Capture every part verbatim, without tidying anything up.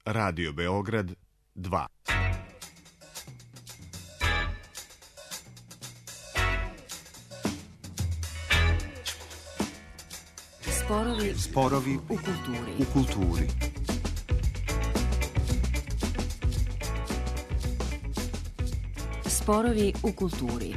Radio Beograd dva. Sporovi, Sporovi u kulturi. U kulturi. Sporovi u kulturi.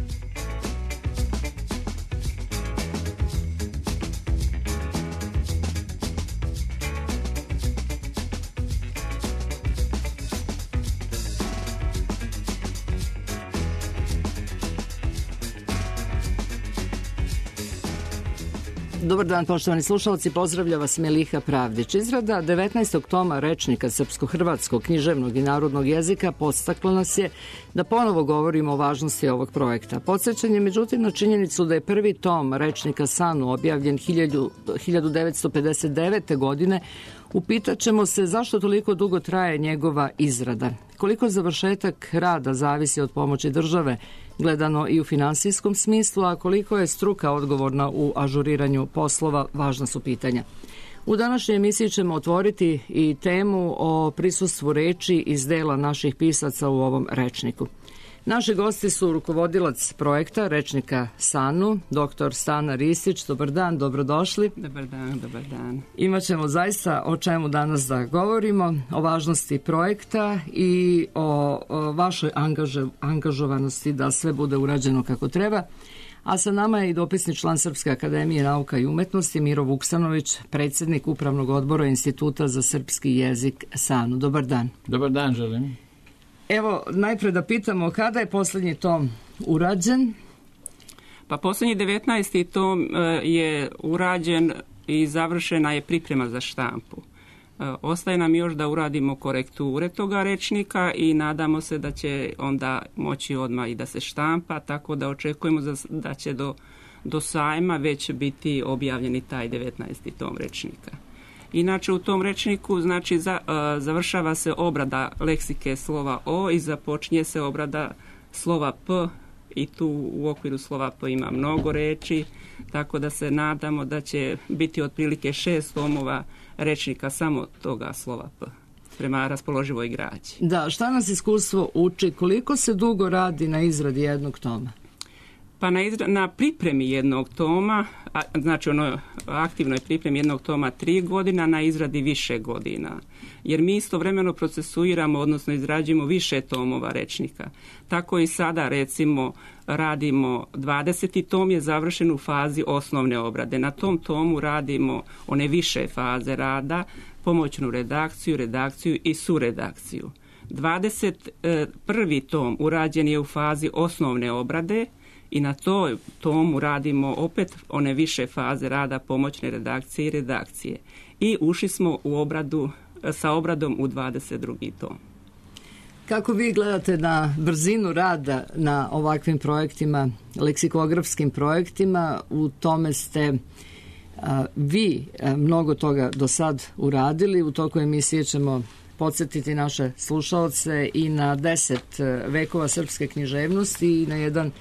Dobar dan, poštovani slušalci, pozdravlja vas Meliha Pravdić. Izrada devetnaestog toma rečnika srpsko-hrvatskog, književnog i narodnog jezika podstakla nas je da ponovo govorimo o važnosti ovog projekta. Podsjećan je međutim na činjenicu da je prvi tom rečnika Sanu objavljen hiljadu devetsto pedeset devete. godine. Upitaćemo se zašto toliko dugo traje njegova izrada. Koliko završetak rada zavisi od pomoći države, gledano i u finansijskom smislu, a koliko je struka odgovorna u ažuriranju poslova, važna su pitanja. U današnjoj emisiji ćemo otvoriti i temu o prisustvu reči iz dela naših pisaca u ovom rečniku. Naši gosti su rukovodilac projekta rečnika Sanu, doktor Stana Ristić. Dobar dan, dobrodošli. Dobar dan, dobar dan. Imaćemo zaista o čemu danas da govorimo, o važnosti projekta i o, o vašoj angaže, angažovanosti da sve bude urađeno kako treba. A sa nama je i dopisni član Srpske akademije nauka i umetnosti Miro Vuksanović, predsjednik Upravnog odbora Instituta za srpski jezik Sanu. Dobar dan. Dobar dan, želim. Evo, najpre da pitamo, kada je posljednji tom urađen? Pa posljednji devetnaesti tom je urađen i završena je priprema za štampu. Ostaje nam još da uradimo korekture toga rečnika i nadamo se da će onda moći odmah i da se štampa, tako da očekujemo da će do, do sajma već biti objavljeni taj devetnaesti tom rečnika. Inače u tom rečniku znači za, uh, završava se obrada leksike slova O i započinje se obrada slova P i tu u okviru slova P ima mnogo reči, tako da se nadamo da će biti otprilike šest tomova rečnika samo toga slova P prema raspoloživoj građi. Da, šta nas iskustvo uči, koliko se dugo radi na izradi jednog toma? Pa na, izra- na pripremi jednog toma, a, znači ono aktivnoj pripremi jednog toma tri godina, na izradi više godina. Jer mi istovremeno procesuiramo, odnosno izrađujemo više tomova rečnika. Tako i sada recimo radimo dvadeseti tom je završen u fazi osnovne obrade. Na tom tomu radimo one više faze rada, pomoćnu redakciju, redakciju i suredakciju. dvadeset prvi tom urađen je u fazi osnovne obrade, i na toj tomu radimo opet one više faze rada pomoćne redakcije i redakcije. I ušli smo u obradu, sa obradom u dvadeset drugi tom. Kako vi gledate na brzinu rada na ovakvim projektima, leksikografskim projektima? U tome ste a, vi a, mnogo toga do sad uradili. U toku emisije ćemo podsjetiti naše slušaoce i na deset vekova srpske književnosti i na jedan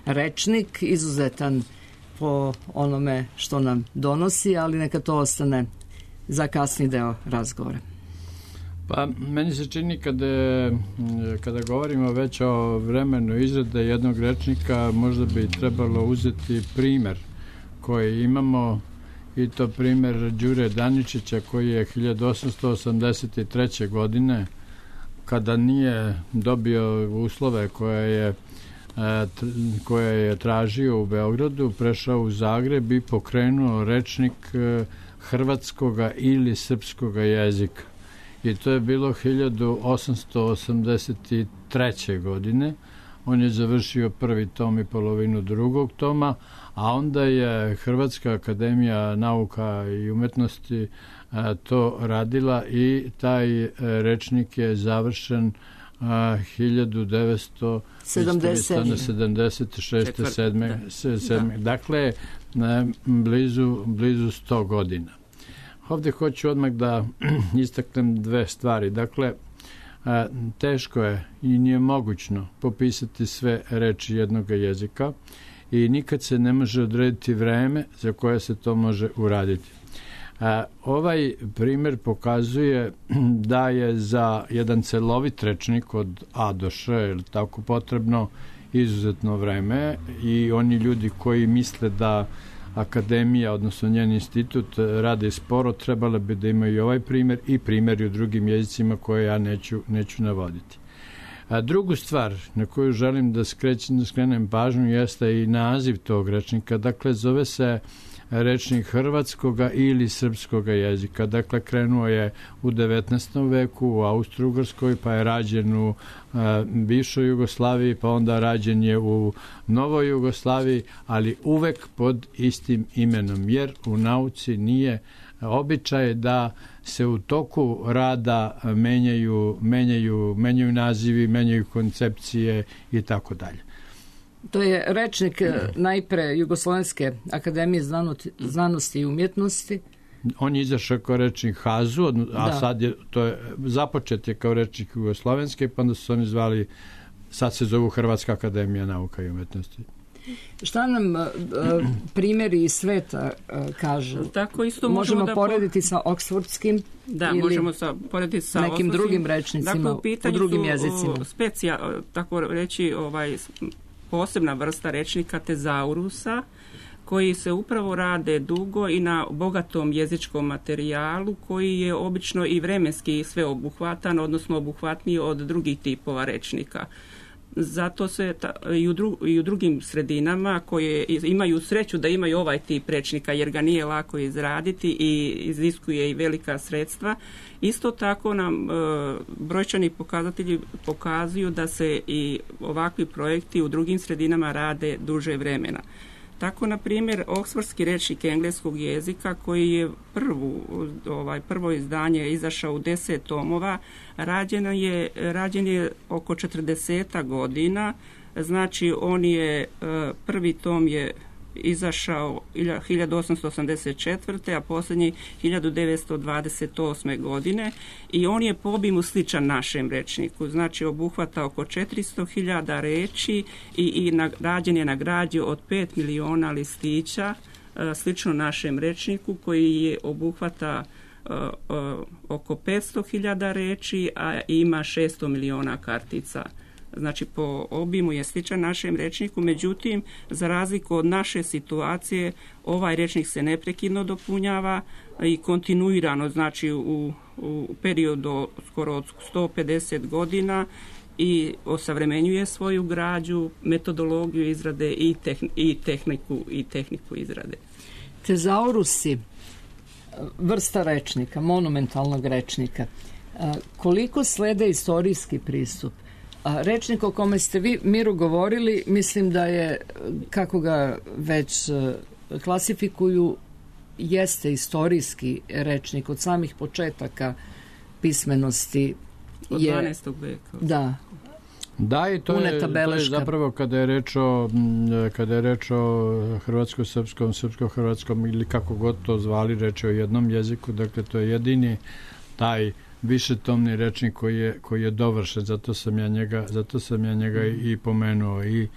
rečnik, izuzetan po onome što nam donosi, ali neka to ostane za kasni deo razgovora. Pa, meni se čini kada, kada govorimo već o vremenu izrade jednog rečnika, možda bi trebalo uzeti primer koji imamo, i to primer Đure Daničića koji je hiljadu osamsto osamdeset treće. godine, kada nije dobio uslove koje je koje je tražio u Beogradu, prešao u Zagreb i pokrenuo rečnik hrvatskoga ili srpskoga jezika. I to je bilo hiljadu osamsto osamdeset treće. godine. On je završio prvi tom i polovinu drugog toma, a onda je Hrvatska akademija nauka i umetnosti to radila i taj rečnik je završen hiljadu devetsto sedamdeset šeste. sedme. Dakle, blizu, blizu sto godina. Ovdje hoću odmah da istaknem dve stvari. Dakle, teško je i nije mogućno popisati sve reči jednog jezika i nikad se ne može odrediti vreme za koje se to može uraditi. Ovaj primjer pokazuje da je za jedan celovit rečnik od A do Š tako potrebno izuzetno vreme i oni ljudi koji misle da akademija, odnosno njen institut rade sporo, trebalo bi da imaju i ovaj primjer i primjer u drugim jezicima koje ja neću, neću navoditi. A drugu stvar na koju želim da, skrećem, da skrenem pažnju jeste i naziv tog rečnika. Dakle, zove se rečnik hrvatskoga ili srpskoga jezika. Dakle, krenuo je u devetnaestom veku u Austro-Ugrskoj, pa je rađen u a, bivšoj Jugoslaviji, pa onda rađen je u novoj Jugoslaviji, ali uvek pod istim imenom, jer u nauci nije običaj da se u toku rada menjaju, menjaju, menjaju nazivi, menjaju koncepcije i tako dalje. To je rečnik najpre Jugoslovenske akademije znanosti i umjetnosti. On je izašao kao rečnik Hazu, a da. sad je, to je, započet je kao rečnik Jugoslovenske, pa onda su oni zvali, sad se zovu Hrvatska akademija nauka i umjetnosti. Šta nam uh, primjeri iz sveta uh, kažu? Tako isto možemo, možemo da porediti po... sa oksfordskim da, ili možemo sa, porediti sa nekim osnovskim, drugim rečnicima, dakle, u, u drugim jezicima. U specija, tako reći, ovaj, posebna vrsta rečnika tezaurusa, koji se upravo rade dugo i na bogatom jezičkom materijalu, koji je obično i vremenski sveobuhvatan, odnosno obuhvatniji od drugih tipova rečnika. Zato se ta, i, u dru, i u drugim sredinama koje imaju sreću da imaju ovaj tip rečnika, jer ga nije lako izraditi i iziskuje i velika sredstva. Isto tako nam e, brojčani pokazatelji pokazuju da se i ovakvi projekti u drugim sredinama rade duže vremena. Tako, na primjer, oksfordski rečnik engleskog jezika, koji je prvu, ovaj, prvo izdanje izašao u deset tomova, rađen je, rađen je oko četrdeset godina. Znači, on je, prvi tom je izašao hiljadu osamsto osamdeset četvrte. a posljednji hiljadu devetsto dvadeset osme. godine i on je po obimu sličan našem rečniku. Znači, obuhvata oko četiristo hiljada reči i, i na, rađen je na građi od pet miliona listića, slično našem rečniku koji je obuhvata uh, uh, oko petsto hiljada reči, a ima šesto miliona kartica. Znači, po obimu je sličan našem rečniku, međutim, za razliku od naše situacije, ovaj rečnik se neprekidno dopunjava i kontinuirano, znači u, u periodu skoro od sto pedeset godina i osavremenjuje svoju građu, metodologiju izrade i, tehn, i, tehniku, i tehniku izrade. Tezaurusi, vrsta rečnika, monumentalnog rečnika, koliko slede istorijski pristup? A rečnik o kome ste vi, Miru, govorili, mislim da je, kako ga već klasifikuju, jeste istorijski rečnik od samih početaka pismenosti. Od je, dvanaestog veka. Da. Da, i to je, to je zapravo kada je reč o, kada je reč o hrvatsko-srpskom, srpsko-hrvatskom ili kako god to zvali, reč o jednom jeziku, dakle to je jedini taj višetomni rečnik koji je, koji je dovršen, zato sam ja njega, zato sam ja njega i pomenuo. I,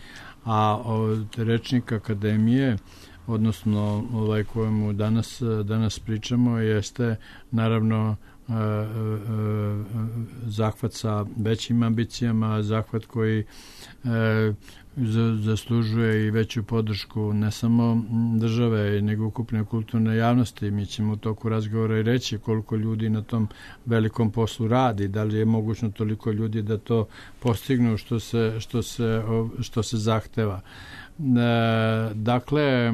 a od rečnika akademije, odnosno ovaj kojemu danas, danas pričamo, jeste naravno e, e, zahvat sa većim ambicijama, zahvat koji e, zaslužuje i veću podršku ne samo države, nego ukupne kulturne javnosti. Mi ćemo u toku razgovora i reći koliko ljudi na tom velikom poslu radi, da li je mogućno toliko ljudi da to postignu što se, što se, što se zahteva. Dakle,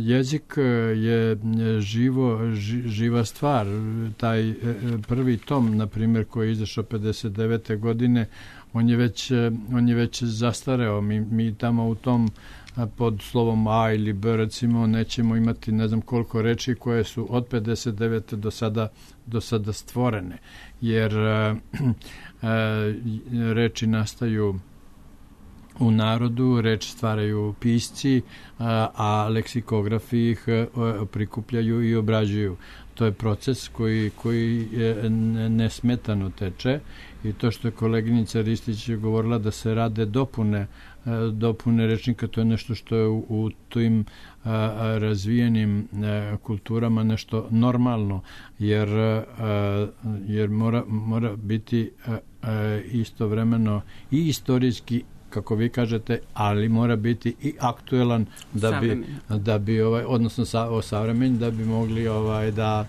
jezik je živo, živa stvar. Taj prvi tom, na primjer, koji je izašao pedeset devete godine, on je već, on je već zastareo. Mi, mi tamo u tom pod slovom A ili B, recimo, nećemo imati ne znam koliko reči koje su od pedeset devete do sada, do sada stvorene. Jer reči nastaju u narodu, reč stvaraju pisci, a, a leksikografi ih prikupljaju i obrađuju. to je proces koji, koji je nesmetano teče i to što je koleginica Ristić govorila da se rade dopune dopune rečnika, to je nešto što je u, u tim a, razvijenim a, kulturama nešto normalno, jer, a, jer mora, mora biti a, a, istovremeno i istorijski, kako vi kažete, ali mora biti i aktuelan da bi, da bi ovaj, odnosno sa, o savremen, da bi mogli ovaj, da,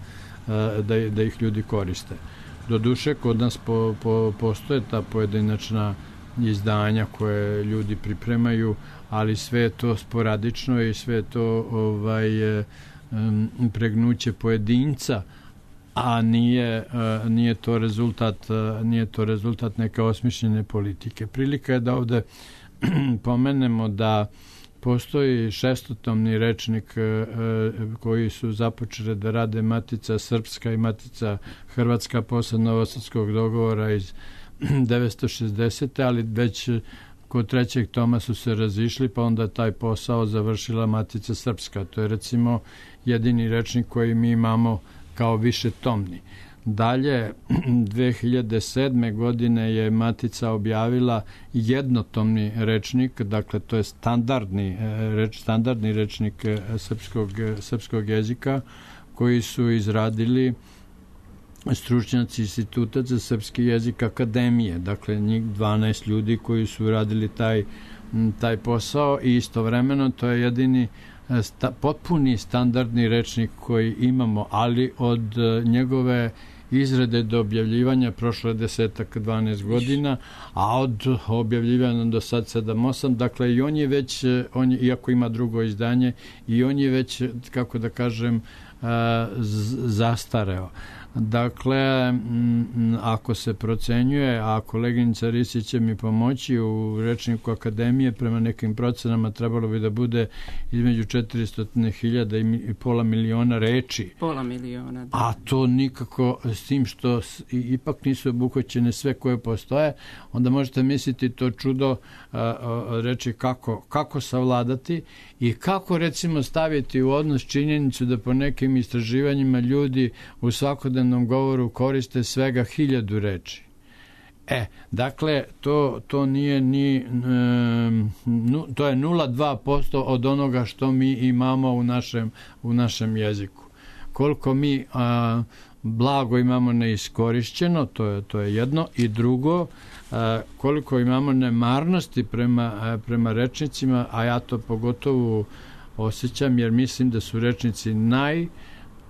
da, da ih ljudi koriste. Doduše, kod nas po, po, postoje ta pojedinačna izdanja koje ljudi pripremaju, ali sve je to sporadično i sve je to ovaj, um, pregnuće pojedinca, a nije, uh, nije to rezultat uh, nije to rezultat neke osmišljene politike. Prilika je da ovde pomenemo da postoji šestotomni rečnik uh, koji su započeli da rade Matica Srpska i Matica Hrvatska posle Novosadskog dogovora iz devetsto šezdesete. ali već kod trećeg toma su se razišli, pa onda taj posao završila Matica Srpska. To je recimo jedini rečnik koji mi imamo kao više tomni. Dalje, dve hiljade sedme. godine je Matica objavila jednotomni rečnik, dakle to je standardni, reč, standardni rečnik srpskog, srpskog jezika koji su izradili stručnjaci Instituta za srpski jezik Akademije, dakle njih dvanaest ljudi koji su radili taj, taj posao i istovremeno to je jedini sta, potpuni standardni rečnik koji imamo, ali od njegove izrade do objavljivanja prošlo je desetak, dvanaest godina, a od objavljivanja do sad sedam, osam, dakle i on je već, on je, iako ima drugo izdanje, i on je već, kako da kažem, zastareo. Dakle, ako se procenjuje, a koleginica Risić će mi pomoći, u rečniku Akademije prema nekim procenama trebalo bi da bude između četiristo hiljada i pola miliona reči. Pola miliona, da. A to nikako, s tim što ipak nisu obuhvaćene sve koje postoje, onda možete misliti to čudo a, a, reči kako, kako savladati i kako recimo staviti u odnos činjenicu da po nekim istraživanjima ljudi u svakodnevnom govoru koriste svega hiljadu reči. E, dakle, to, to nije ni, um, nu, to je nula zarez dva posto od onoga što mi imamo u našem, u našem jeziku. Koliko mi a, blago imamo neiskorišćeno, to je, to je jedno, i drugo, a, koliko imamo nemarnosti prema, a, prema rečnicima, a ja to pogotovo osjećam, jer mislim da su rečnici naj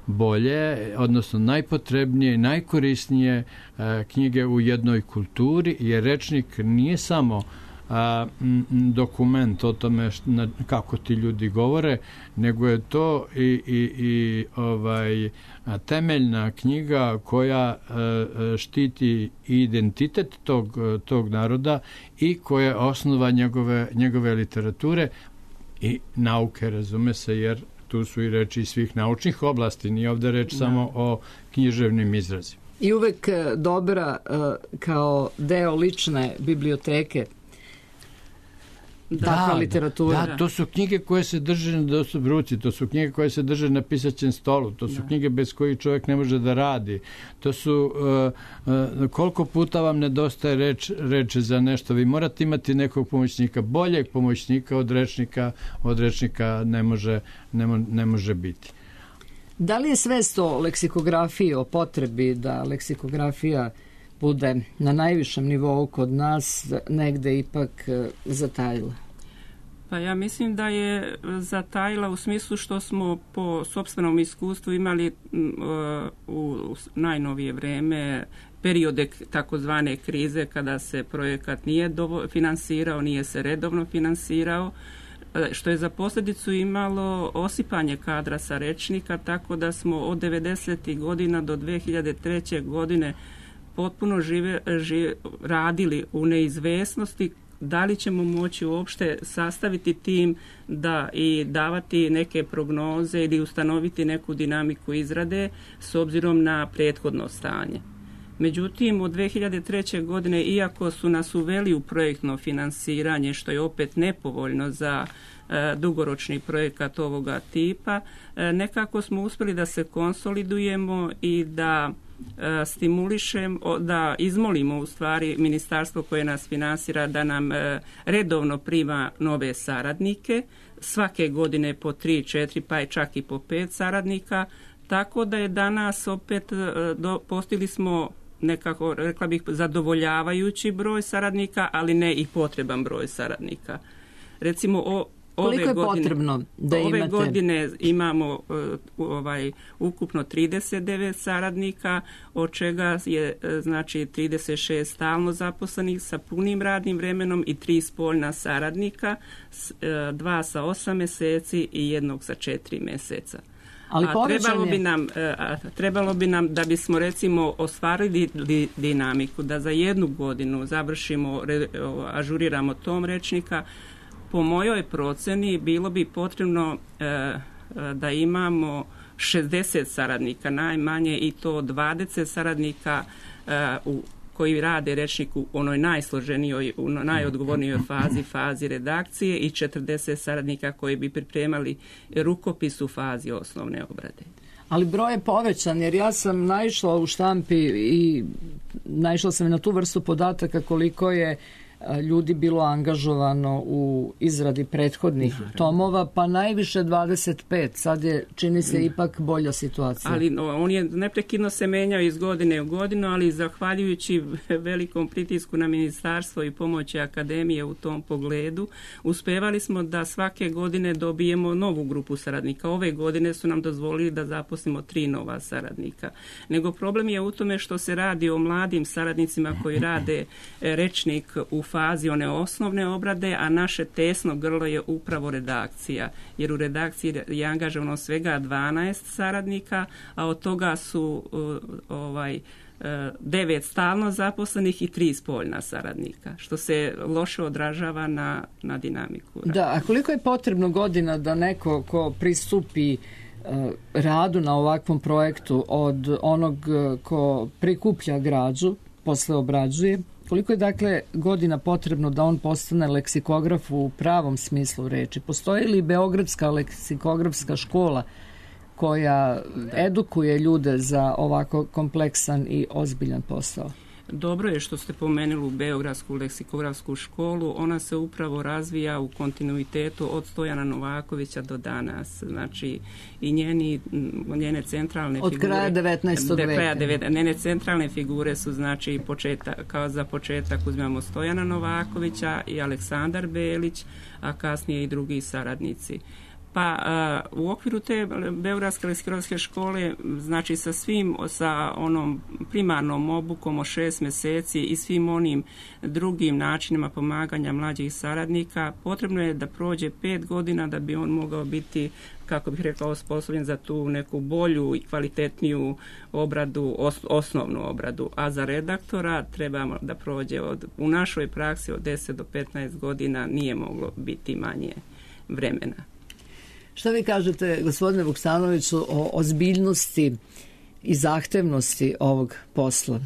bolje, odnosno najpotrebnije i najkorisnije a, knjige u jednoj kulturi, jer rečnik nije samo a, m, dokument o tome št, na, kako ti ljudi govore, nego je to i, i, i ovaj, a, temeljna knjiga koja a, štiti identitet tog, tog naroda i koja je osnova njegove, njegove literature i nauke, razume se, jer tu su i reči svih naučnih oblasti, nije ovde reč da. samo o književnim izrazima. I uvek dobra kao deo lične biblioteke. Da, literatura. Da, to su knjige koje se drže na dostupnoj ruci, to su knjige koje se drže na pisaćem stolu, to su da. knjige bez kojih čovjek ne može da radi. To su, uh, uh, koliko puta vam nedostaje reč, reče za nešto, vi morate imati nekog pomoćnika, boljeg pomoćnika od rečnika, od rečnika ne može, ne, mo, ne može biti. Da li je svest o leksikografiji, o potrebi da leksikografija bude na najvišem nivou kod nas negde ipak zatajila? Pa ja mislim da je zatajila u smislu što smo po sopstvenom iskustvu imali uh, u najnovije vreme periode takozvane krize kada se projekat nije dovo- finansirao, nije se redovno finansirao, što je za posljedicu imalo osipanje kadra sa rečnika, tako da smo od devedesetih godina do dve hiljade treće. godine potpuno žive, žive, radili u neizvesnosti da li ćemo moći uopšte sastaviti tim da i davati neke prognoze ili ustanoviti neku dinamiku izrade s obzirom na prethodno stanje. Međutim, od dve hiljade treće. godine, iako su nas uveli u projektno finansiranje, što je opet nepovoljno za e, dugoročni projekat ovoga tipa, e, nekako smo uspjeli da se konsolidujemo i da e, stimulišemo, da izmolimo u stvari ministarstvo koje nas finansira da nam e, redovno prima nove saradnike, svake godine po tri, četiri, pa je čak i po pet saradnika, tako da je danas opet e, do, postigli smo nekako, rekla bih, zadovoljavajući broj saradnika, ali ne i potreban broj saradnika. Recimo, o, ove Koliko je godine, potrebno da ove imate? godine imamo uh, ovaj, ukupno trideset devet saradnika, od čega je znači trideset šest stalno zaposlenih sa punim radnim vremenom i tri spoljna saradnika, dva sa osam mjeseci i jednog sa četiri mjeseca. Ali a trebalo bi nam, a trebalo bi nam da bismo recimo ostvarili di, dinamiku, da za jednu godinu završimo, ažuriramo tom rečnika. Po mojoj procjeni bilo bi potrebno e, da imamo šezdeset saradnika najmanje i to dvadeset saradnika e, u koji rade rečnik u onoj najsloženijoj, u najodgovornijoj fazi, fazi redakcije i četrdeset saradnika koji bi pripremali rukopis u fazi osnovne obrade. Ali broj je povećan, jer ja sam naišla u štampi i naišla sam na tu vrstu podataka koliko je ljudi bilo angažovano u izradi prethodnih Naravno. tomova, pa najviše dvadeset pet. Sad je, čini se, ipak bolja situacija. Ali no, on je neprekidno se menjao iz godine u godinu, ali zahvaljujući velikom pritisku na ministarstvo i pomoći akademije u tom pogledu, uspevali smo da svake godine dobijemo novu grupu saradnika. Ove godine su nam dozvolili da zaposlimo tri nova saradnika. Nego problem je u tome što se radi o mladim saradnicima koji rade rečnik u fazi one osnovne obrade, a naše tesno grlo je upravo redakcija. Jer u redakciji je angažovano svega dvanaest saradnika, a od toga su ovaj, devet stalno zaposlenih i tri spoljna saradnika, što se loše odražava na, na dinamiku. Da, a koliko je potrebno godina da neko ko pristupi radu na ovakvom projektu od onog ko prikuplja građu, posle obrađuje, koliko je dakle godina potrebno da on postane leksikograf u pravom smislu reči? Postoji li Beogradska leksikografska škola koja edukuje ljude za ovako kompleksan i ozbiljan posao? Dobro je što ste pomenuli Beogradsku leksikografsku školu. Ona se upravo razvija u kontinuitetu od Stojana Novakovića do danas. Znači, i njeni, njene centralne od figure... kraja devetnaestog veka. Njene centralne figure su, znači, početak, kao za početak uzmemo Stojana Novakovića i Aleksandar Belić, a kasnije i drugi saradnici. Pa uh, u okviru te Beogradske leksikografske škole, znači sa svim, sa onom primarnom obukom od šest mjeseci i svim onim drugim načinima pomaganja mlađih saradnika, potrebno je da prođe pet godina da bi on mogao biti, kako bih rekao, osposobljen za tu neku bolju i kvalitetniju obradu, os, osnovnu obradu. A za redaktora trebamo da prođe od, u našoj praksi od deset do petnaest godina, nije moglo biti manje vremena. Šta vi kažete, gospodine Vuksanoviću, o ozbiljnosti i zahtevnosti ovog posla?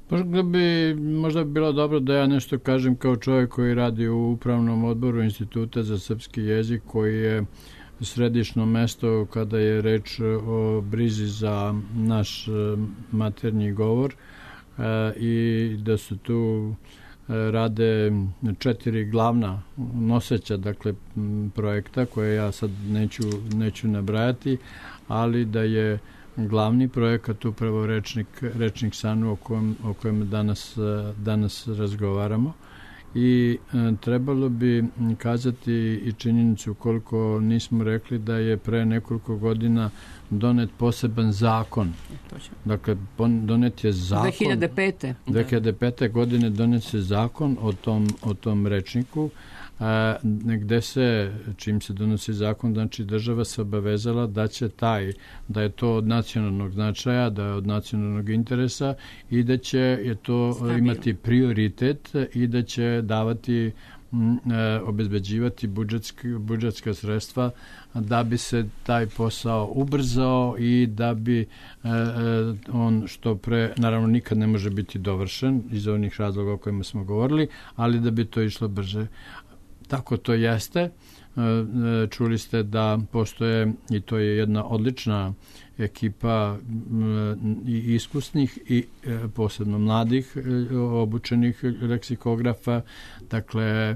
Možda bi, možda bi bilo dobro da ja nešto kažem kao čovjek koji radi u upravnom odboru Instituta za srpski jezik, koji je središno mesto kada je reč o brizi za naš maternji govor i da su tu rade četiri glavna noseća, dakle, projekta koje ja sad neću, neću nabrajati, ali da je glavni projekat upravo rečnik, rečnik Sanu o kojem, o kojem danas, danas razgovaramo. I e, trebalo bi kazati i činjenicu, koliko nismo rekli, da je pre nekoliko godina donet poseban zakon. Dakle, donet je zakon. dve hiljade pete. dve hiljade pete. godine donet se zakon o tom, o tom rečniku, a, gde se, čim se donosi zakon, znači država se obavezala da će taj, da je to od nacionalnog značaja, da je od nacionalnog interesa i da će je to Stabil. imati prioritet i da će davati obezbeđivati budžetski, budžetska sredstva da bi se taj posao ubrzao i da bi e, on što pre, naravno nikad ne može biti dovršen iz onih razloga o kojima smo govorili, ali da bi to išlo brže. Tako to jeste. Čuli ste da postoje, i to je jedna odlična ekipa i iskusnih i posebno mladih obučenih leksikografa. Dakle,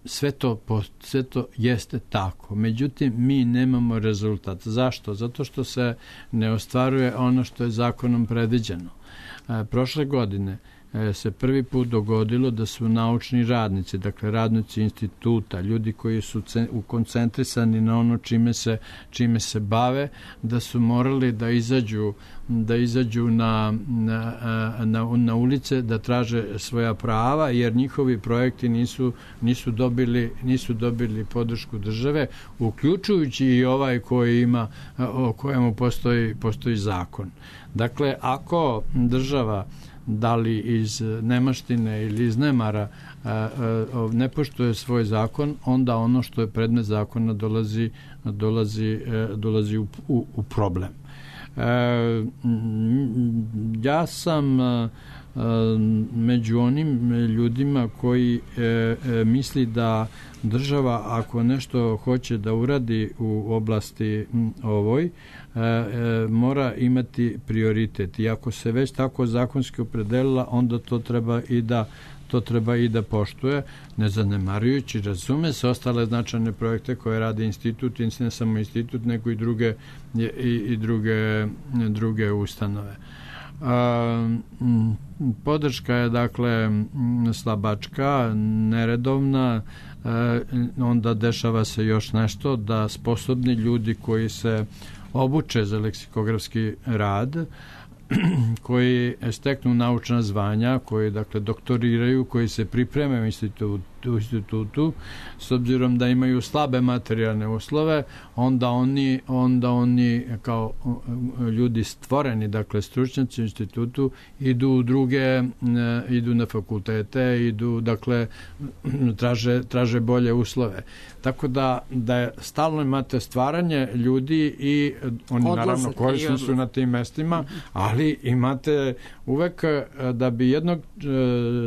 sve to, sve to jeste tako. Međutim, mi nemamo rezultat. Zašto? Zato što se ne ostvaruje ono što je zakonom predviđeno. Prošle godine se prvi put dogodilo da su naučni radnici, dakle radnici instituta, ljudi koji su ukoncentrisani na ono čime se, čime se bave, da su morali da izađu, da izađu na, na, na, na ulice da traže svoja prava, jer njihovi projekti nisu, nisu, dobili, nisu dobili podršku države, uključujući i ovaj koji ima, o kojemu postoji, postoji zakon. Dakle, ako država da li iz nemaštine ili iz nemara ne poštuje svoj zakon, onda ono što je predmet zakona dolazi, dolazi, dolazi u, u, u problem. Ja sam među onim ljudima koji misli da država ako nešto hoće da uradi u oblasti ovoj, mora imati prioritet. I ako se već tako zakonski opredelila, onda to treba i da to treba i da poštuje, ne zanemarujući, razume se, ostale značajne projekte koje radi institut, i ne samo institut, nego i druge, i, i druge, druge ustanove. A, podrška je dakle slabačka, neredovna, a, onda dešava se još nešto da sposobni ljudi koji se obuče za leksikografski rad, koji steknu naučna zvanja, koji dakle doktoriraju, koji se pripreme u institutu, u institutu, s obzirom da imaju slabe materijalne uslove, onda oni, onda oni kao ljudi stvoreni, dakle stručnjaci u institutu, idu u druge, idu na fakultete, idu, dakle, traže, traže bolje uslove. Tako da, da je stalno imate stvaranje ljudi i oni odlazak, naravno korisni su na tim mestima, ali imate uvek da bi jednog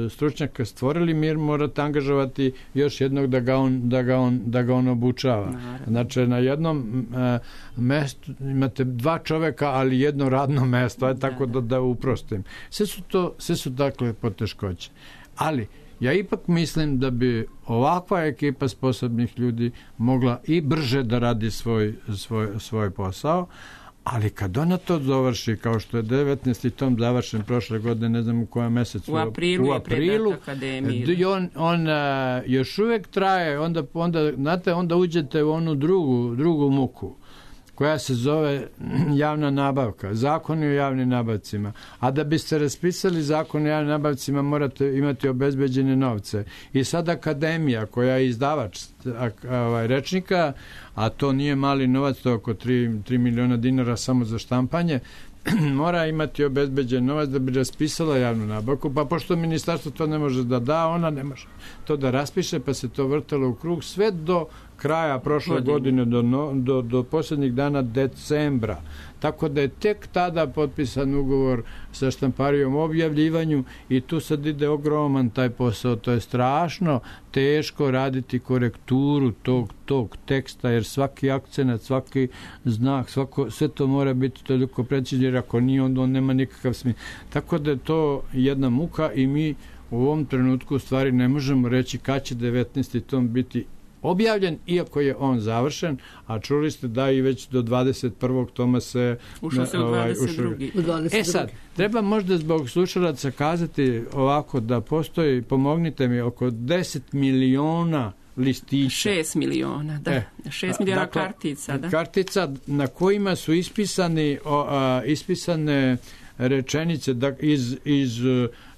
stručnjaka stvorili, mir morate angažovati još jednog da ga on, da ga on, da ga on obučava. Naravno. Znači, na jednom e, mestu imate dva čoveka, ali jedno radno mesto, aj tako da, da uprostim. Sve su to, sve su dakle poteškoće. Ali, ja ipak mislim da bi ovakva ekipa sposobnih ljudi mogla i brže da radi svoj, svoj, svoj posao, ali kad ona to završi, kao što je devetnaesti tom završen prošle godine, ne znam u kojem mesecu, u aprilu, u aprilu je akademiji. On, on a, još uvijek traje, onda, onda, znate, onda uđete u onu drugu, drugu muku, koja se zove javna nabavka, zakon o javnim nabavcima. A da biste raspisali zakon o javnim nabavcima, morate imati obezbeđene novce. I sad akademija, koja je izdavač ovaj, rečnika, a to nije mali novac, to je oko tri miliona dinara samo za štampanje, mora imati obezbeđen novac da bi raspisala javnu nabavku, pa pošto ministarstvo to ne može da da, ona ne može to da raspiše, pa se to vrtalo u krug sve do kraja prošle godine, do, do, do posljednjih dana decembra. Tako da je tek tada potpisan ugovor sa štamparijom o objavljivanju i tu sad ide ogroman taj posao. To je strašno teško raditi korekturu tog, tog teksta, jer svaki akcenat, svaki znak, svako, sve to mora biti toliko precizno, jer ako nije, onda on nema nikakav smisla. Tako da je to jedna muka i mi u ovom trenutku u stvari ne možemo reći kad će devetnaesti tom biti objavljen, iako je on završen, a čuli ste da i već do dvadeset prvog toma se ušao se u dvadeset drugi. E sad, treba možda zbog slušalaca kazati ovako da postoji, pomognite mi, oko deset miliona listića. šest miliona, da. E, šest miliona dakle, kartica, da. Kartica na kojima su ispisani, o, a, ispisane rečenice da, iz, iz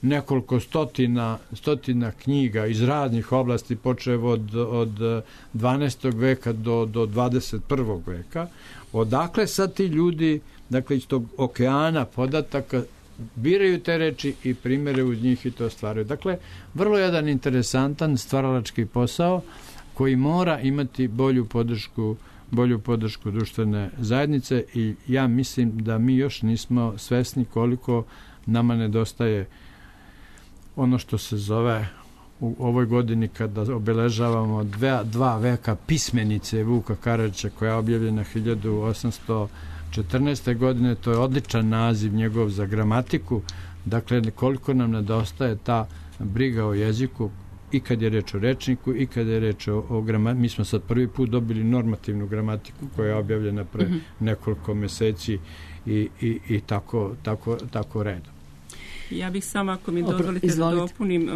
nekoliko stotina, stotina knjiga iz raznih oblasti, počev od, od dvanaestog veka do, do dvadeset prvog veka. Odakle sad ti ljudi, dakle iz tog okeana podataka, biraju te reči i primere uz njih i to stvaraju. Dakle, vrlo jedan interesantan stvaralački posao koji mora imati bolju podršku bolju podršku društvene zajednice i ja mislim da mi još nismo svesni koliko nama nedostaje ono što se zove u ovoj godini kada obeležavamo dve, dva veka pismenice Vuka Karadžića koja je objavljena hiljadu osamsto četrnaeste. godine, to je odličan naziv njegov za gramatiku, dakle koliko nam nedostaje ta briga o jeziku i kad je reč o rečniku i kad je reč o, o gramatiku. Mi smo sad prvi put dobili normativnu gramatiku koja je objavljena pre mm-hmm. nekoliko meseci i, i, i tako, tako, tako redom. Ja bih samo, ako mi dozvolite da dopunim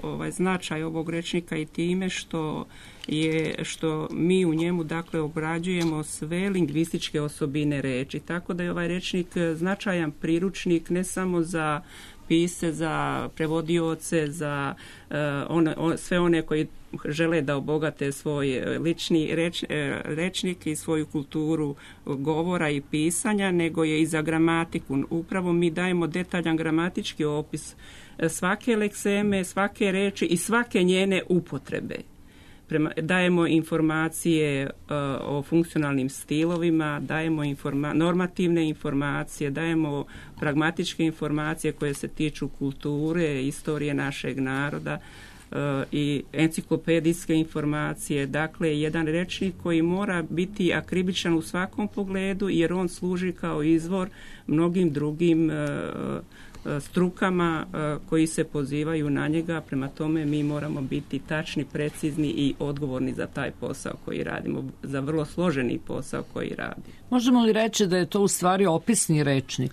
ovaj značaj ovog rečnika i time što je što mi u njemu dakle obrađujemo sve lingvističke osobine reči, tako da je ovaj rečnik značajan priručnik ne samo za pisce, za prevodioce, za uh, one, on, sve one koji žele da obogate svoj lični reč, rečnik i svoju kulturu govora i pisanja, nego je i za gramatiku. Upravo mi dajemo detaljan gramatički opis svake lekseme, svake reči i svake njene upotrebe. Prema, dajemo informacije uh, o funkcionalnim stilovima, dajemo informa- normativne informacije, dajemo pragmatičke informacije koje se tiču kulture, istorije našeg naroda uh, i enciklopedijske informacije. Dakle, jedan rečnik koji mora biti akribičan u svakom pogledu jer on služi kao izvor mnogim drugim uh, strukama koji se pozivaju na njega, prema tome mi moramo biti tačni, precizni i odgovorni za taj posao koji radimo, za vrlo složeni posao koji radi. Možemo li reći da je to u stvari opisni rečnik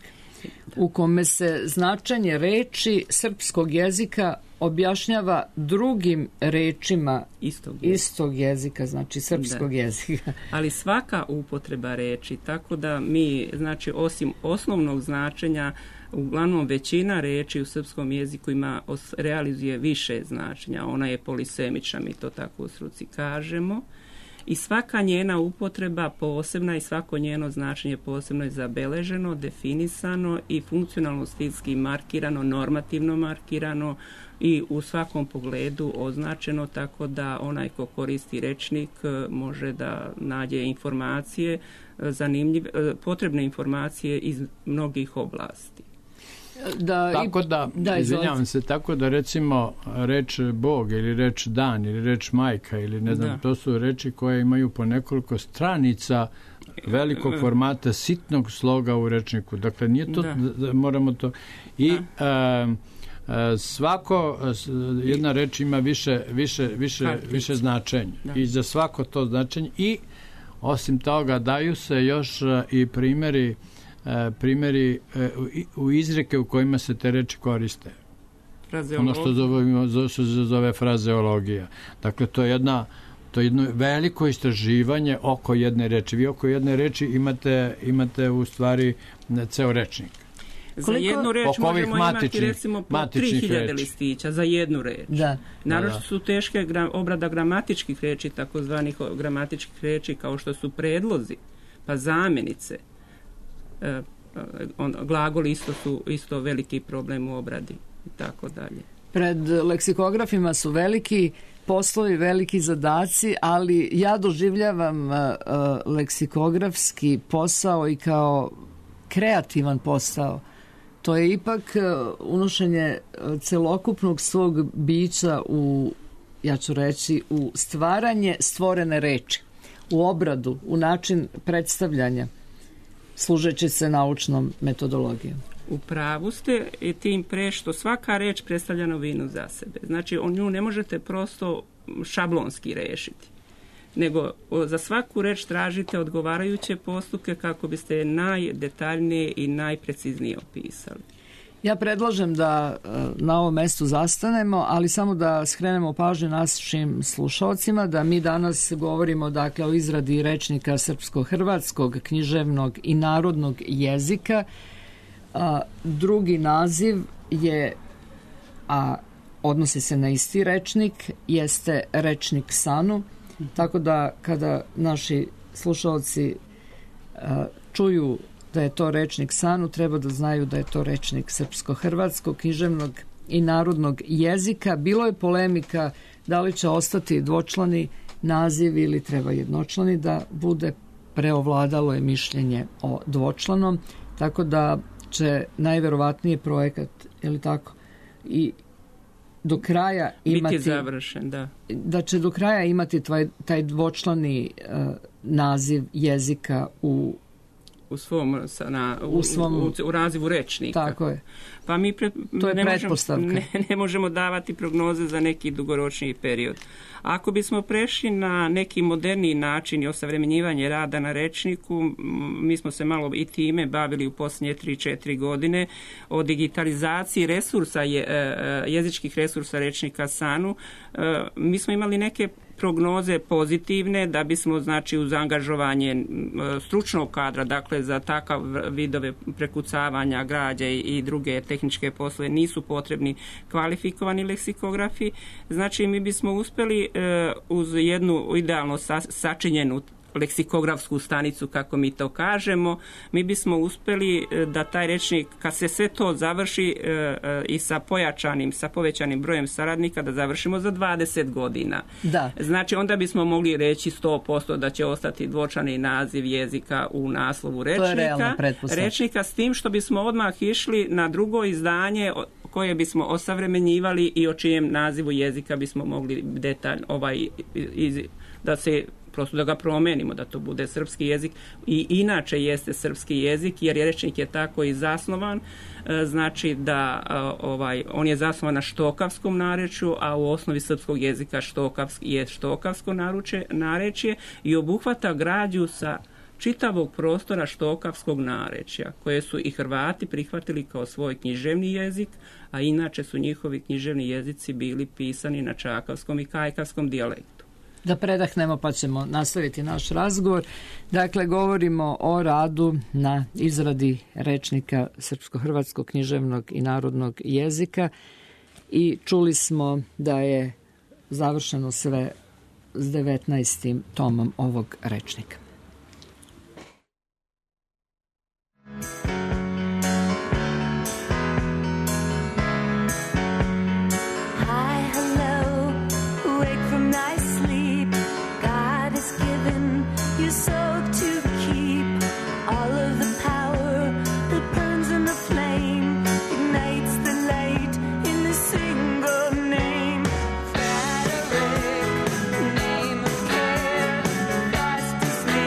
u kome se značenje reči srpskog jezika objašnjava drugim rečima istog jezika, istog jezika znači srpskog da. jezika. Ali svaka upotreba reči, tako da mi, znači, osim osnovnog značenja, uglavnom većina reči u srpskom jeziku ima, realizuje više značenja. Ona je polisemična, mi to tako u struci kažemo. I svaka njena upotreba posebna i svako njeno značenje posebno je zabeleženo, definisano i funkcionalno stilski markirano, normativno markirano i u svakom pogledu označeno, tako da onaj ko koristi rečnik može da nađe informacije, zanimljive, potrebne informacije iz mnogih oblasti. Da, tako da, da izvinjavam se, tako da recimo reč Bog ili reč dan ili reč majka ili ne znam, da. To su reči koje imaju po nekoliko stranica velikog formata, sitnog sloga u rečniku. Dakle, nije to, da. moramo to... I a, a, svako, jedna reč ima više, više, više, više značenja. Da. I za svako to značenje. I osim toga daju se još i primjeri primjeri u izreke u kojima se te reči koriste. Ono što zove, što se zove frazeologija. Dakle, to je jedna to je jedno veliko istraživanje oko jedne reči. Vi oko jedne reči imate, imate u stvari ceo rečnik. Za jednu reč možemo imati recimo po tri hiljade listića za jednu reč. Da. Naravno su teške gra, obrada gramatičkih reči, takozvanih gramatičkih reči kao što su predlozi, pa zamjenice. On, glagoli isto su isto veliki problem u obradi i tako dalje. Pred leksikografima su veliki poslovi, veliki zadaci, ali ja doživljavam uh, leksikografski posao i kao kreativan posao. To je ipak uh, unošenje celokupnog svog bića u, ja ću reći, u stvaranje stvorene reči, u obradu, u način predstavljanja, služeći se naučnom metodologijom. U pravu ste i tim pre što svaka reč predstavlja novinu za sebe. Znači, on nju ne možete prosto šablonski rešiti, nego za svaku reč tražite odgovarajuće postupke kako biste najdetaljnije i najpreciznije opisali. Ja predlažem da na ovom mestu zastanemo, ali samo da skrenemo pažnju našim slušalcima da mi danas govorimo dakle o izradi rečnika srpsko-hrvatskog, književnog i narodnog jezika. A, drugi naziv je, a odnosi se na isti rečnik, jeste rečnik Sanu, tako da kada naši slušalci a, čuju da je to rečnik Sanu, treba da znaju da je to rečnik srpsko-hrvatskog, književnog i narodnog jezika. Bilo je polemika da li će ostati dvočlani naziv ili treba jednočlani da bude. Preovladalo je mišljenje o dvočlanom, tako da će najverovatnije projekat, je li tako, i do kraja imati... Biti završen, da. Da će do kraja imati taj, taj dvočlani uh, naziv jezika u u svom na, u, u, svom, u, u razivu rečnika. Tako je. Pa mi pre, to je ne pretpostavka. Možemo, ne, ne možemo davati prognoze za neki dugoročni period. Ako bismo prešli na neki moderniji način i osavremenjivanje rada na rečniku, mi smo se malo i time bavili u posljednje tri četiri godine o digitalizaciji resursa, je, jezičkih resursa rečnika Sanu. Mi smo imali neke prognoze pozitivne da bismo, znači, uz angažovanje stručnog kadra, dakle za takav vidove prekucavanja građa i druge tehničke poslove nisu potrebni kvalifikovani leksikografi. Znači, mi bismo uspjeli uz jednu idealno sačinjenu leksikografsku stanicu, kako mi to kažemo, mi bismo uspjeli da taj rečnik, kad se sve to završi i sa pojačanim, sa povećanim brojem saradnika, da završimo za dvadeset godina. Da. Znači, onda bismo mogli reći sto posto da će ostati dvočlani naziv jezika u naslovu rečnika. To je realna pretpostavka. Rečnika, s tim što bismo odmah išli na drugo izdanje koje bismo osavremenjivali i o čijem nazivu jezika bismo mogli detaljno ovaj, iz, da se prosto da ga promenimo, da to bude srpski jezik i inače jeste srpski jezik, jer rečnik je tako i zasnovan, znači da ovaj, on je zasnovan na štokavskom narečju, a u osnovi srpskog jezika štokavski je štokavsko naruče, narečje i obuhvata građu sa čitavog prostora štokavskog narečja, koje su i Hrvati prihvatili kao svoj književni jezik, a inače su njihovi književni jezici bili pisani na čakavskom i kajkavskom dijalektu. Da predahnemo pa ćemo nastaviti naš razgovor. Dakle, govorimo o radu na izradi rečnika srpsko-hrvatskog književnog i narodnog jezika i čuli smo da je završeno sve s devetnaestim tomom ovog rečnika. Name of care, fastest name.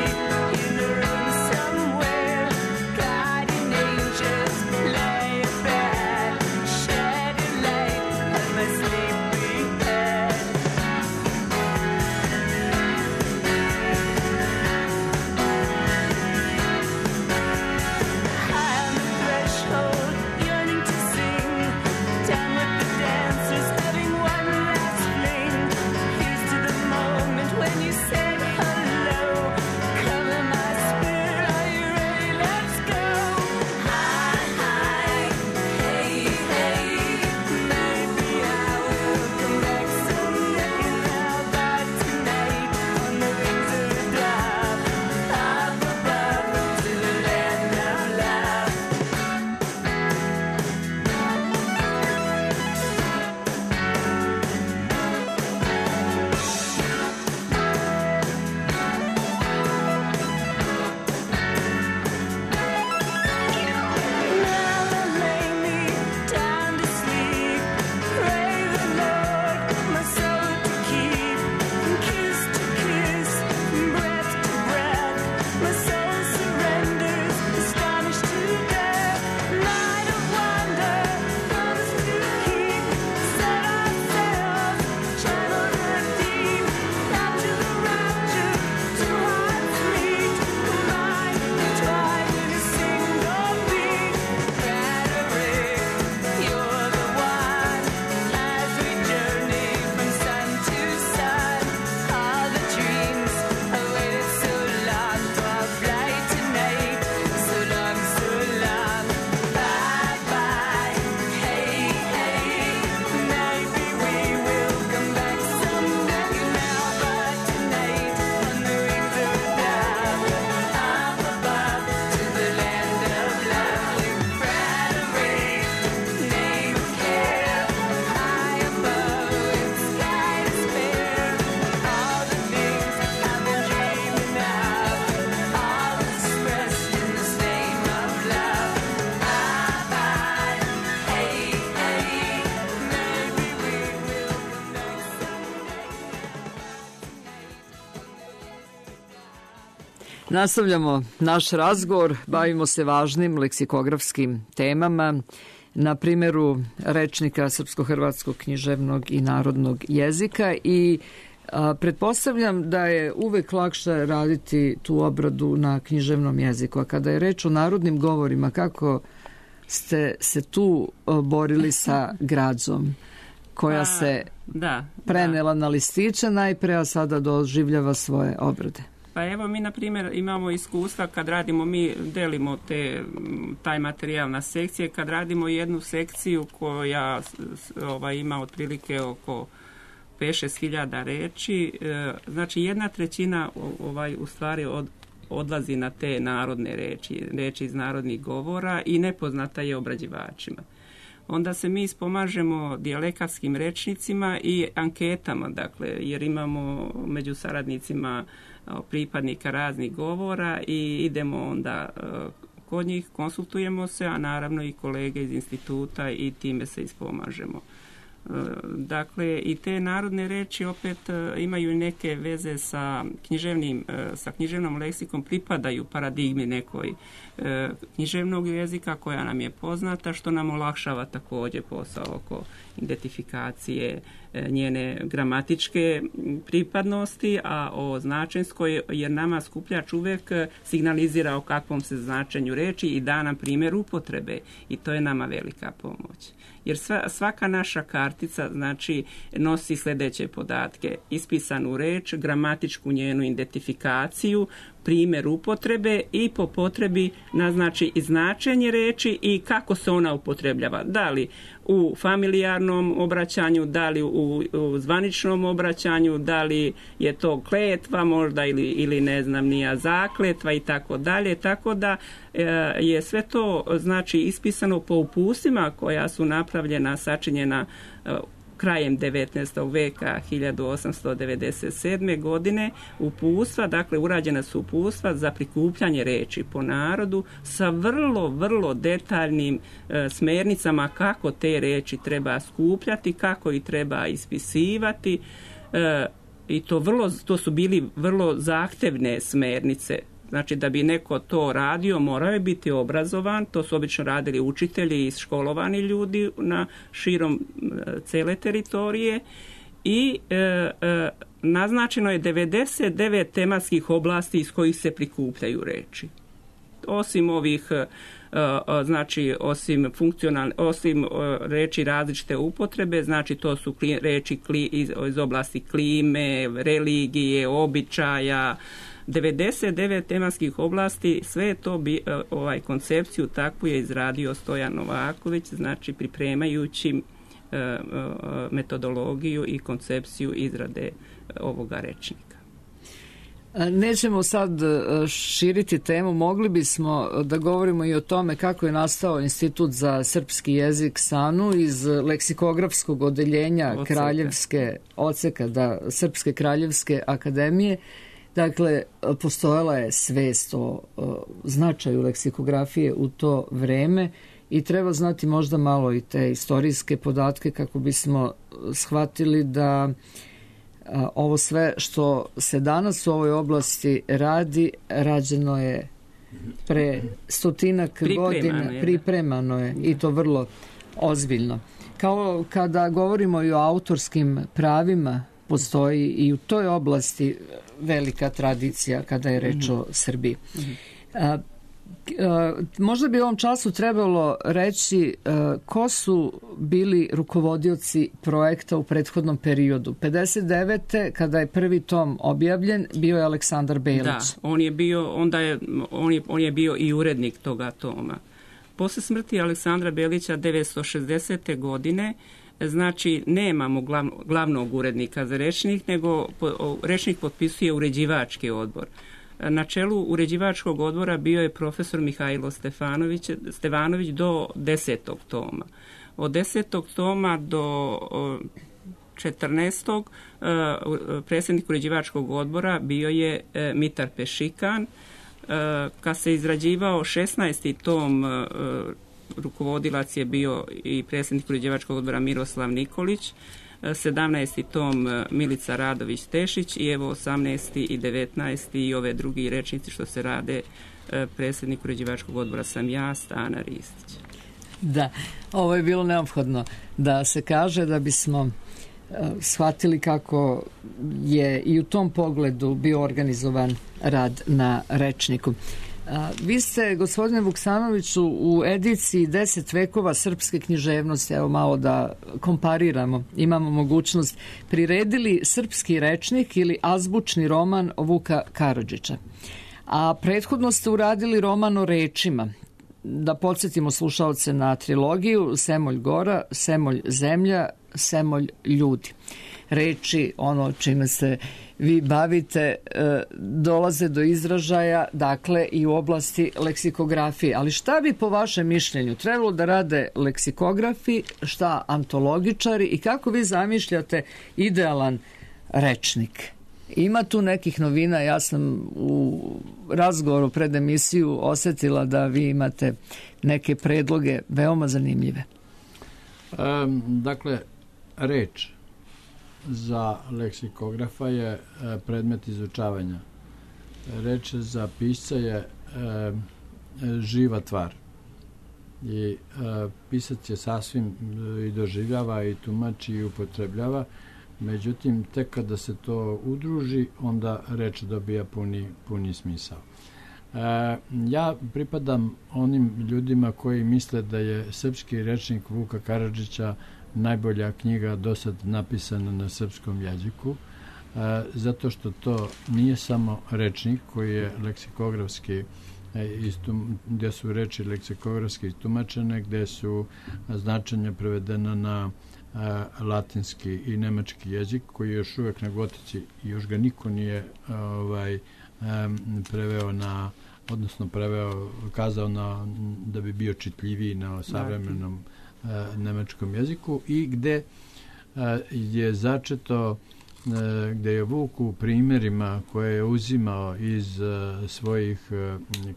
Nastavljamo naš razgovor, bavimo se važnim leksikografskim temama na primjeru rečnika srpsko-hrvatskog književnog i narodnog jezika i a, pretpostavljam da je uvek lakše raditi tu obradu na književnom jeziku. A kada je reč o narodnim govorima, kako ste se tu borili sa građom koja se da, prenela da. na listiće najpre, a sada doživljava svoje obrade? Pa evo mi na primjer imamo iskustva kad radimo, mi delimo te, taj materijal na sekcije, kad radimo jednu sekciju koja ovaj, ima otprilike oko pet do šest hiljada reči, znači jedna trećina ovaj, u stvari od, odlazi na te narodne reči, reči iz narodnih govora i nepoznata je obrađivačima. Onda se mi ispomažemo dijalektskim rečnicima i anketama, dakle, jer imamo među saradnicima pripadnika raznih govora i idemo onda kod njih, konsultujemo se, a naravno i kolege iz instituta i time se ispomažemo. Dakle, i te narodne reči opet imaju neke veze sa književnim, sa književnom leksikom, pripadaju paradigmi nekoj književnog jezika koja nam je poznata, što nam olakšava također posao oko identifikacije njene gramatičke pripadnosti, a o značenskoj, jer nama skupljač uvijek signalizira o kakvom se značenju reči i da nam primjer upotrebe i to je nama velika pomoć. Jer sva, svaka naša kartica znači nosi sljedeće podatke: ispisanu reč, gramatičku njenu identifikaciju, primjer upotrebe i po potrebi naznači i značenje reči i kako se ona upotrebljava. Da li u familijarnom obraćanju, da li u, u zvaničnom obraćanju, da li je to kletva možda ili, ili ne znam nija zakletva i tako dalje. Tako da e, je sve to znači ispisano po upustima koja su napravljena, sačinjena e, krajem devetnaestog veka, hiljadu osamsto devedeset sedme. godine, uputstva, dakle urađena su uputstva za prikupljanje reči po narodu sa vrlo, vrlo detaljnim e, smernicama kako te reči treba skupljati, kako ih treba ispisivati e, i to, vrlo, to su bili vrlo zahtevne smernice. Znači da bi neko to radio morao je biti obrazovan, to su obično radili učitelji i školovani ljudi na širom cele teritorije i e, e, naznačeno je devedeset devet tematskih oblasti iz kojih se prikupljaju reči. Osim ovih e, znači osim funkcionalne, osim e, reči različite upotrebe, znači to su kli, reči kli, iz, iz oblasti klime, religije, običaja, devedeset devet tematskih oblasti, sve to bi, ovaj koncepciju takvu je izradio Stojan Novaković, znači pripremajući e, metodologiju i koncepciju izrade ovoga rečnika. Nećemo sad širiti temu, mogli bismo da govorimo i o tome kako je nastao Institut za srpski jezik SANU iz leksikografskog odeljenja Oceka. Kraljevske Oceka, da, Srpske kraljevske akademije. Dakle, postojala je svest o, o značaju leksikografije u to vreme i treba znati možda malo i te istorijske podatke kako bismo shvatili da a, ovo sve što se danas u ovoj oblasti radi, rađeno je pre stotinak pripremano godina, je. pripremano je i to vrlo ozbiljno. Kao kada govorimo i o autorskim pravima, postoji i u toj oblasti velika tradicija kada je reč o Srbiji. A, a, možda bi u ovom času trebalo reći a, ko su bili rukovodioci projekta u prethodnom periodu. pedeset devete kada je prvi tom objavljen, bio je Aleksandar Belić. Da, on je bio, onda je, on je, on je bio i urednik toga toma. Posle smrti Aleksandra Belića devetsto šezdesete. godine znači nemamo glavno, glavnog urednika za rečnik, nego po, rečnik potpisuje uređivački odbor. Na čelu uređivačkog odbora bio je profesor Mihajlo Stefanović, Stevanović do desetog toma. Od desetog toma do četrnaestog predsjednik uređivačkog odbora bio je Mitar Pešikan. Kad se izrađivao šesnaesti tom, rukovodilac je bio i predsjednik uređivačkog odbora Miroslav Nikolić. sedamnaesti tom Milica Radović-Tešić i evo osamnaesti i devetnaesti i ove drugi rečnici što se rade, predsjednik uređivačkog odbora sam ja, Stana Ristić. Da, ovo je bilo neophodno da se kaže da bismo shvatili kako je i u tom pogledu bio organizovan rad na rečniku. Vi ste, gospodine Vuksanoviću, u ediciji deset vekova srpske književnosti, evo malo da kompariramo, imamo mogućnost, priredili srpski rečnik ili azbučni roman Vuka Karadžića. A prethodno ste uradili roman o rečima. Da podsjetimo slušaoce na trilogiju Semolj Gora, Semolj Zemlja, Semolj Ljudi. Reči, ono čime se vi bavite, dolaze do izražaja, dakle, i u oblasti leksikografije. Ali šta bi po vašem mišljenju trebalo da rade leksikografi, šta antologičari i kako vi zamišljate idealan rečnik? Ima tu nekih novina, ja sam u razgovoru pred emisiju osjetila da vi imate neke predloge veoma zanimljive. Um, dakle, reč za leksikografa je predmet izučavanja. Reč za pisca je e, živa tvar. I e, pisac je sasvim i doživljava i tumači i upotrebljava. Međutim, tek kada se to udruži, onda reč dobija puni, puni smisao. E, ja pripadam onim ljudima koji misle da je srpski rečnik Vuka Karadžića najbolja knjiga do sad napisana na srpskom jeziku, e, zato što to nije samo rečnik koji je leksikografski, e, istum, gdje su reči leksikografski istumačene, gdje su značenja prevedena na e, latinski i nemački jezik, koji je još uvijek na gotici i još ga niko nije ovaj, e, preveo na, odnosno preveo, kazao na, da bi bio čitljiviji na savremenom nemačkom jeziku i gde je začeto, gde je Vuk u primjerima koje je uzimao iz svojih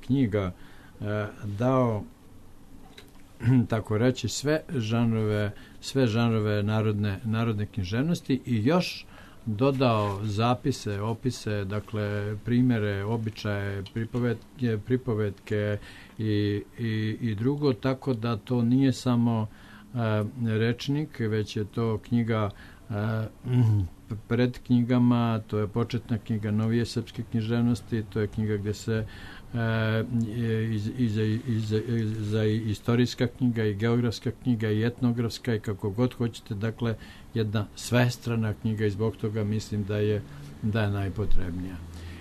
knjiga dao, tako reći, sve žanrove, sve žanrove narodne, narodne književnosti i još dodao zapise, opise, dakle primjere, običaje, pripovetke, pripovetke i, i, i drugo, tako da to nije samo uh, rečnik, već je to knjiga uh, pred knjigama, to je početna knjiga novije srpske književnosti, to je knjiga gdje se uh, iz, iz, iz, iz, za istorijska knjiga i geografska knjiga i etnografska i kako god hoćete, dakle jedna svestrana knjiga i zbog toga mislim da je, da je najpotrebnija.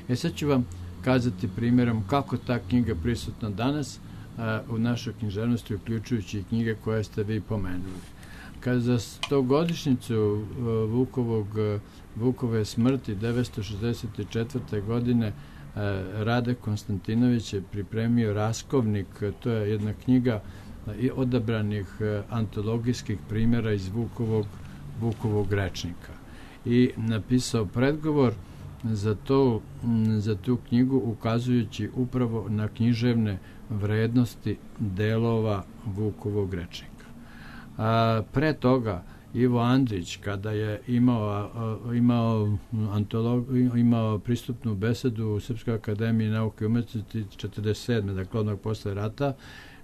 E sad ću vam kazati primjerom kako ta knjiga prisutna danas uh, u našoj književnosti, uključujući i knjige koje ste vi pomenuli. Kad za stogodišnjicu uh, Vukovog, uh, Vukove smrti devetsto šezdeset četvrte. godine uh, Rade Konstantinović je pripremio Raskovnik, to je jedna knjiga uh, odabranih uh, antologijskih primjera iz Vukovog Vukovog rečnika i napisao predgovor za, to, za tu knjigu ukazujući upravo na književne vrednosti delova Vukovog rečnika. A, pre toga Ivo Andrić, kada je imao, a, imao, antolog, imao pristupnu besedu u Srpskoj akademiji nauke i umetnosti četrdeset sedme. dakle odmah posle rata,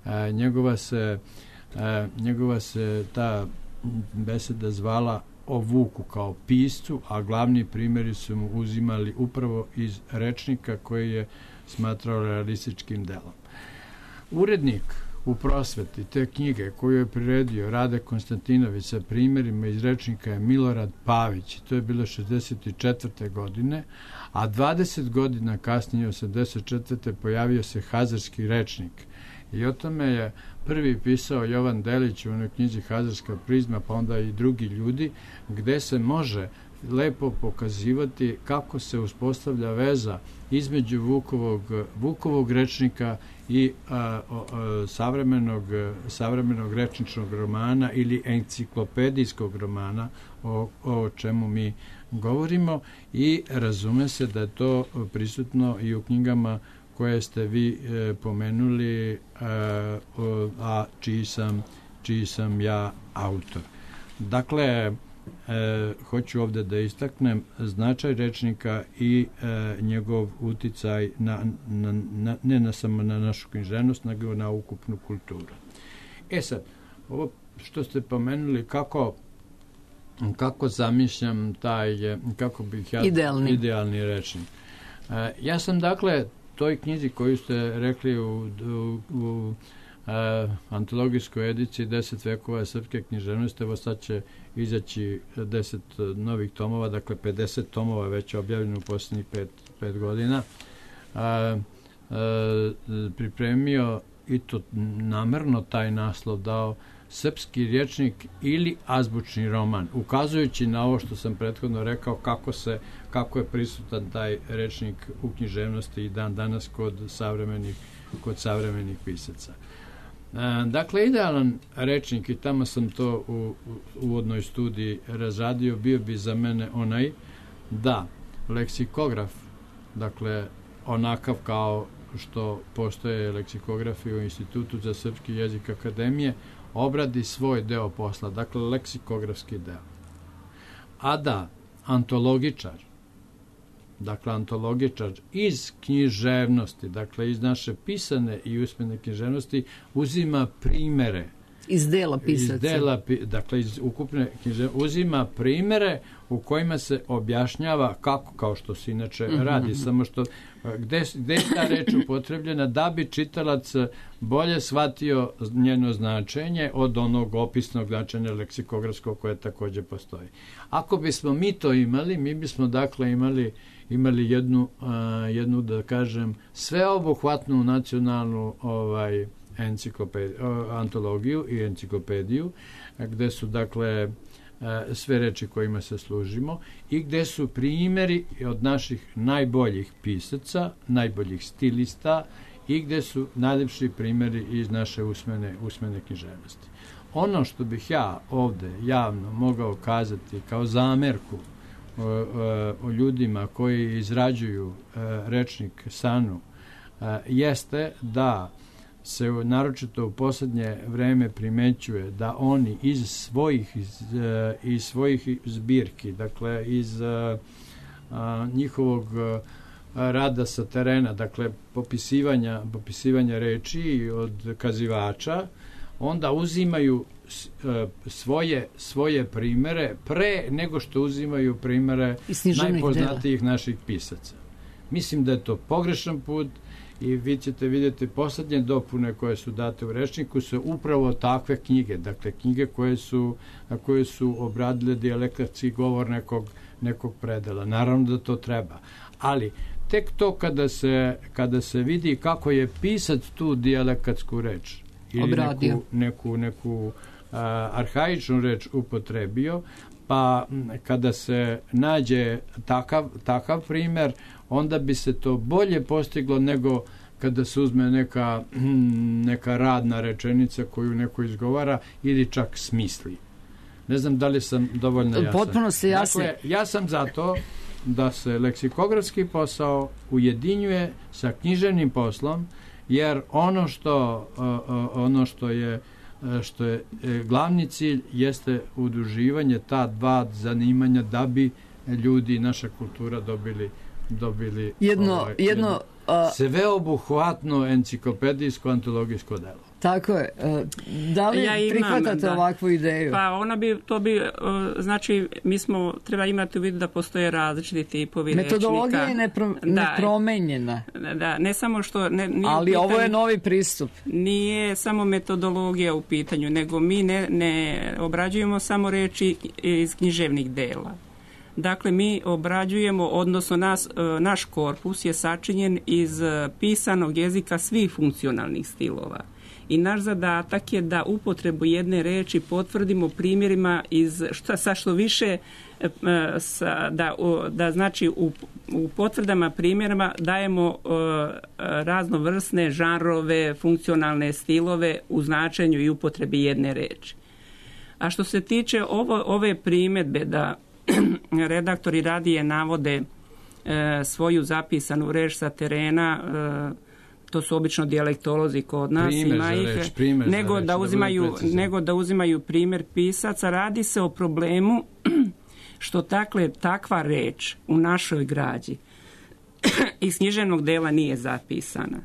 a, njegova se a, njegova se ta beseda zvala o Vuku kao piscu, a glavni primjeri su mu uzimali upravo iz rečnika koji je smatrao realističkim delom. Urednik u prosveti te knjige koju je priredio Rade Konstantinović sa primjerima iz rečnika je Milorad Pavić. To je bilo šezdeset četvrte. godine, a dvadeset godina kasnije, osamdeset četvrte. pojavio se Hazarski rečnik. I o tome je prvi pisao Jovan Delić u onoj knjizi Hazarska prizma, pa onda i drugi ljudi, gde se može lepo pokazivati kako se uspostavlja veza između Vukovog, Vukovog rečnika i a, a, savremenog, savremenog rečničnog romana ili enciklopedijskog romana o, o čemu mi govorimo, i razume se da je to prisutno i u knjigama koje ste vi e, pomenuli, a, a čiji sam, čiji sam ja autor. Dakle, e, hoću ovde da istaknem značaj rečnika i e, njegov uticaj na, na, na, ne na samo na našu književnost, nego na ukupnu kulturu. E sad, ovo što ste pomenuli, kako kako zamišljam taj, kako bih ja... Idealni. Idealni rečnik. E, ja sam, dakle, toj knjizi koju ste rekli u, u, u a, antologijskoj ediciji deset vekova srpske književnosti, evo sad će izaći deset novih tomova, dakle pedeset tomova već objavljeno u posljednjih pet, pet godina, a, a, pripremio i to namerno taj naslov dao srpski rječnik ili azbučni roman, ukazujući na ovo što sam prethodno rekao, kako se kako je prisutan taj rečnik u književnosti i dan danas kod savremenih kod savremenih pisaca. E, dakle, idealan rečnik, i tamo sam to u, u uvodnoj studiji razradio, bio bi za mene onaj da leksikograf, dakle onakav kao što postoje leksikografi u Institutu za srpski jezik Akademije, obradi svoj deo posla, dakle leksikografski deo. A da antologičar, dakle antologičar iz književnosti, dakle iz naše pisane i usmene književnosti, uzima primere iz dela pisaca. Iz dela, dakle iz ukupne književnosti, uzima primere u kojima se objašnjava kako, kao što se inače mm-hmm. radi, samo što gde, gde je ta reč upotrebljena da bi čitalac bolje shvatio njeno značenje od onog opisnog značenja leksikografskog koje takođe postoji. Ako bismo mi to imali, mi bismo dakle imali imali jednu, uh, jednu da kažem, sveobuhvatnu nacionalnu ovaj, enciklopediju, antologiju i enciklopediju, gde su dakle sve reči kojima se služimo i gde su primjeri od naših najboljih pisaca, najboljih stilista i gde su najlepši primjeri iz naše usmene, usmene književnosti. Ono što bih ja ovde javno mogao kazati kao zamerku o, o, o ljudima koji izrađuju rečnik Sanu jeste da se naročito u posljednje vreme primećuje da oni iz svojih iz, iz svojih zbirki, dakle iz a, a, njihovog rada sa terena, dakle popisivanja, popisivanja reči od kazivača, onda uzimaju svoje, svoje primere pre nego što uzimaju primere najpoznatijih dela. Naših pisaca. Mislim da je to pogrešan put i vi ćete vidjeti poslednje dopune koje su date u rečniku su upravo takve knjige, dakle knjige koje su, koje su obradile dijalektatski govor nekog, nekog predela. Naravno da to treba, ali tek to kada se, kada se vidi kako je pisac tu dijalektatsku reč ili obradio. neku, neku, neku a, arhaičnu reč upotrebio, pa kada se nađe takav, takav primer, onda bi se to bolje postiglo nego kada se uzme neka, neka radna rečenica koju neko izgovara ili čak smisli. Ne znam da li sam dovoljno jasan. Potpuno se jasno. Dakle, ja sam za to da se leksikografski posao ujedinjuje sa književnim poslom, jer ono što, ono što je što je glavni cilj jeste udruživanje ta dva zanimanja da bi ljudi i naša kultura dobili dobili jedno, ovaj, jedno, jedno a... sveobuhvatno enciklopedijsko antologijsko delo. Tako je. Da li ja imam, prihvatate da. ovakvu ideju? Pa ona bi, to bi, znači, mi smo, treba imati u vidu da postoje različiti tipovi rečnika. Metodologija je nepro, nepromenjena. Da, da, ne samo što... Ne, nije ali pitanju, ovo je novi pristup. Nije samo metodologija u pitanju, nego mi ne, ne obrađujemo samo reči iz književnih dela. Dakle, mi obrađujemo, odnosno nas, naš korpus je sačinjen iz pisanog jezika svih funkcionalnih stilova. I naš zadatak je da upotrebu jedne reči potvrdimo primjerima iz šta, sa što više sa, da, da znači u, u potvrdama primjerima dajemo uh, raznovrsne žanrove, funkcionalne stilove u značenju i upotrebi jedne reči. A što se tiče ovo, ove primjedbe da redaktori radije navode e, svoju zapisanu reč sa terena, e, to su obično dijalektolozi kod nas, primjer ima ih, reč, primjer nego, reč, da uzimaju, da nego da uzimaju primjer pisaca. Radi se o problemu što takle, takva reč u našoj građi iz književnog dela nije zapisana.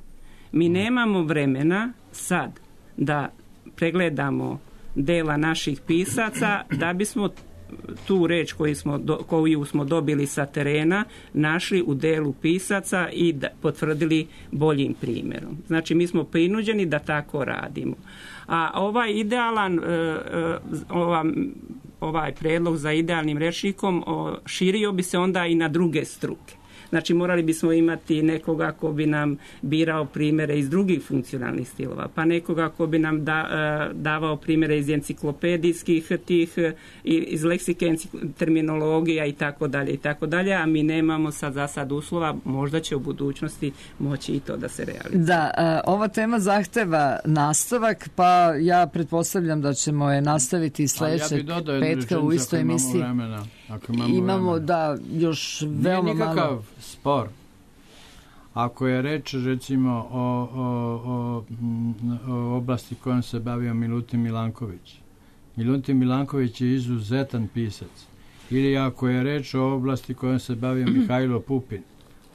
Mi nemamo vremena sad da pregledamo dela naših pisaca da bismo tu reč koju smo, do, koju smo dobili sa terena našli u delu pisaca i da, potvrdili boljim primjerom. Znači mi smo prinuđeni da tako radimo. A ovaj idealan e, e, ova, ovaj predlog za idealnim rečnikom o, širio bi se onda i na druge struke. Znači morali bismo imati nekoga ko bi nam birao primjere iz drugih funkcionalnih stilova, pa nekoga ko bi nam da, davao primjere iz enciklopedijskih tih, iz leksike terminologija i tako dalje i tako dalje, a mi nemamo sad za sad uslova, možda će u budućnosti moći i to da se realizuje. Da, ova tema zahteva nastavak, pa ja pretpostavljam da ćemo je nastaviti sljedećeg ja petka u istoj emisiji. Vremena, ako imamo, imamo vremena. Da, još veoma malo spor. Ako je reč recimo o, o, o, o oblasti kojom se bavio Milutin Milanković. Milutin Milanković je izuzetan pisac. Ili ako je reč o oblasti kojom se bavio Mihajlo Pupin.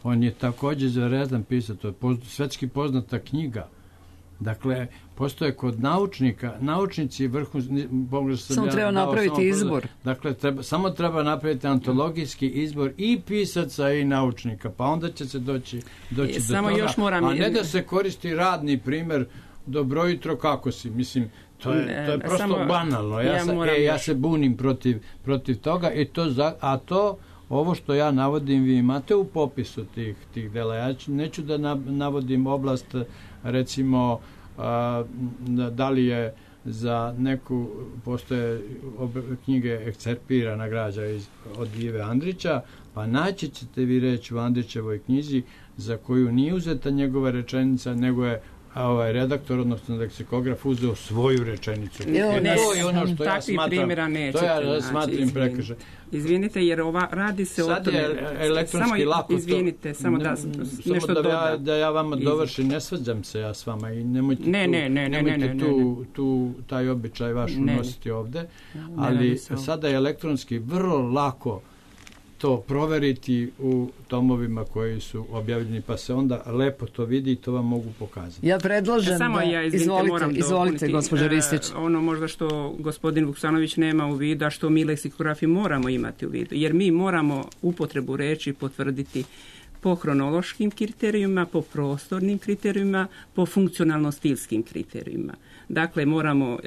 On je također izuzetan pisac. To je poz, svetski poznata knjiga. Dakle, postoje kod naučnika, naučnici vrhunski... Samo treba napraviti samo izbor. Dakle, treba, samo treba napraviti antologijski izbor i pisaca i naučnika, pa onda će se doći, doći do samo toga. Još moram... A ne da se koristi radni primjer, dobro jutro, kako si? Mislim, to je, to je prosto samo, banalno. Ja, ja, sa, e, ja se bunim protiv, protiv toga, i to za, a to... Ovo što ja navodim, vi imate u popisu tih, tih dela. Ja ću, neću da navodim oblast, recimo, a, da li je za neku, postoje knjige ekcerpirana građa iz, od Ive Andrića, pa naći ćete vi reći u Andrićevoj knjizi za koju nije uzeta njegova rečenica, nego je a ovaj redaktor, odnosno leksikograf, uzeo svoju rečenicu. Ne, ne, to je ono što ja smatram, to ja smatram prekršaj. Izvinite, jer ova radi se sad o tome. Sad je elektronski samo, lako. Izvinite, to, samo da nešto da doda. Ja, da ja vama dovršim, ne svađam se ja s vama i nemojte, ne, tu, ne, ne, nemojte ne, ne, tu, ne. tu taj običaj vaš ne. unositi ovde, ali ne sada je elektronski vrlo lako to proveriti u tomovima koji su objavljeni, pa se onda lepo to vidi i to vam mogu pokazati. Ja predlažem Samo da... Ja, izvinite, izvolite, izvolite, gospođa Ristić. Uh, ono možda što gospodin Vuksanović nema u vidu, a što mi leksikografi moramo imati u vidu, jer mi moramo upotrebu reči potvrditi po hronološkim kriterijima, po prostornim kriterijima, po funkcionalno-stilskim kriterijima. Dakle, moramo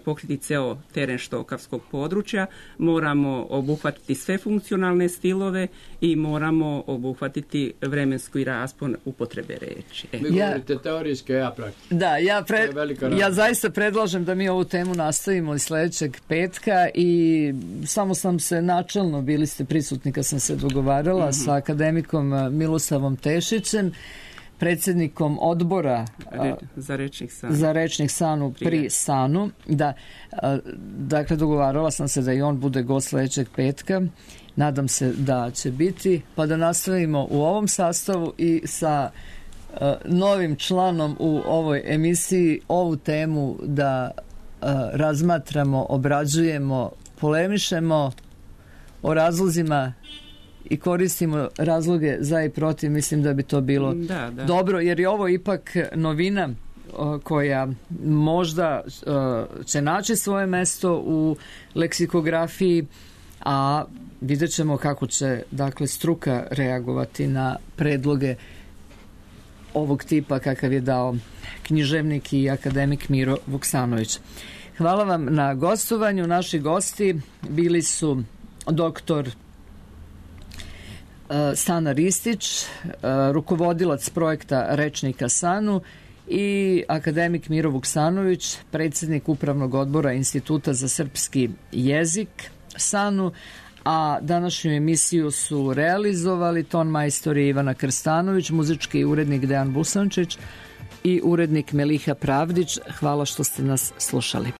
pokriti ceo teren štokavskog područja, moramo obuhvatiti sve funkcionalne stilove i moramo obuhvatiti vremenski raspon upotrebe reči. E. Vi govorite teorijske, ja praktično. Da, ja, pre, ja zaista predlažem da mi ovu temu nastavimo i sljedećeg petka i samo sam se načelno, bili ste prisutni kad sam se dogovarala mm-hmm. sa akademikom Milosavom Tešićem, predsjednikom odbora Re, za rečnik Sanu, za rečnik Sanu pri Prije. Sanu. Da, dakle, dogovarala sam se da i on bude gost sljedećeg petka. Nadam se da će biti, pa da nastavimo u ovom sastavu i sa uh, novim članom u ovoj emisiji ovu temu da uh, razmatramo, obrađujemo, polemišemo o razlozima i koristimo razloge za i protiv. Mislim da bi to bilo da, da. dobro, jer je ovo ipak novina uh, koja možda uh, će naći svoje mesto u leksikografiji, a vidjet ćemo kako će, dakle, struka reagovati na predloge ovog tipa kakav je dao književnik i akademik Miro Vuksanović. Hvala vam na gostovanju. Naši gosti bili su doktor Sana Ristić, rukovodilac projekta Rečnika Sanu, i akademik Miro Vuksanović, predsjednik Upravnog odbora Instituta za srpski jezik Sanu, a današnju emisiju su realizovali ton majstori Ivana Krstanović, muzički urednik Dejan Busančić i urednik Meliha Pravdić. Hvala što ste nas slušali.